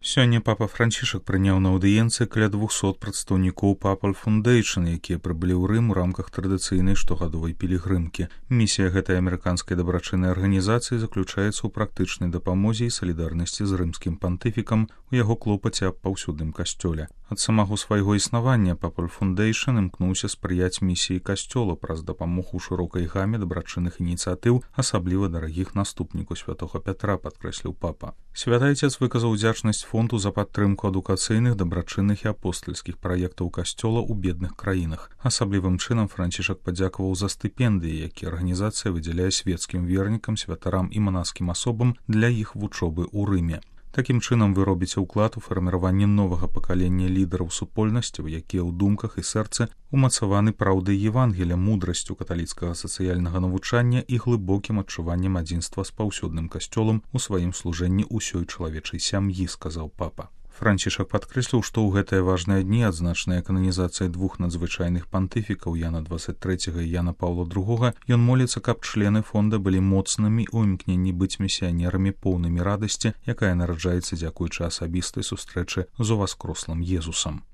Сёння папа Францішак прыняў на аўдыенцыі каля 200 прадстаўнікоў Papal Foundation, якія прыбылі ў Рым у рамках традыцыйнай штогадовай пілігрымкі. Місія гэтай амерыканскай дабрачыннай арганізацыі заключаецца ў практычнай дапамозе і салідарнасці з рымскім пантыфікам у яго клопаце аб паўсюдным касцёле. Ад самого свайго існавання Papal Foundation імкнуўся спрыяць місіі касцёла праз дапамогу шырокай гаме дабрачынных ініцыятыў, асабліва дарагіх наступніку святога Пятра, падкрэсліў папа. Святы Айцец выказаў удзячнасць фонду за падтрымку адукацыйных, дабрачынных і апостальскіх праектаў касцёла ў бедных краінах. Асаблівым чынам Францішак падзякаваў за стыпендыі, якія арганізацыя выдзяляе свецкім вернікам, святарам і манаскім асобам для іх вучобы ў Рыме. Такім чынам вы робіце ўклад у фарміраванне новага пакалення лідараў супольнасцяў, якія ў думках і сэрцы умацаваны праўдай Евангелія, мудрасцю каталіцкага сацыяльнага навучання і глыбокім адчуваннем адзінства з паўсюдным касцёлам у сваім служэнні ўсёй чалавечай сям'і, сказаў папа. Францішак падкрэсліў, што ў гэтыя важныя дні, адзначаныя кананізацыяй двух надзвычайных пантыфікаў Яна 23 і Яна Паўла II, ён моліцца, каб члены фонда былі моцнымі ў імкненні быць місіянерамі поўнымі радасці, якая нараджаецца дзякуючы асабістай сустрэчы з уваскрослым Езусам.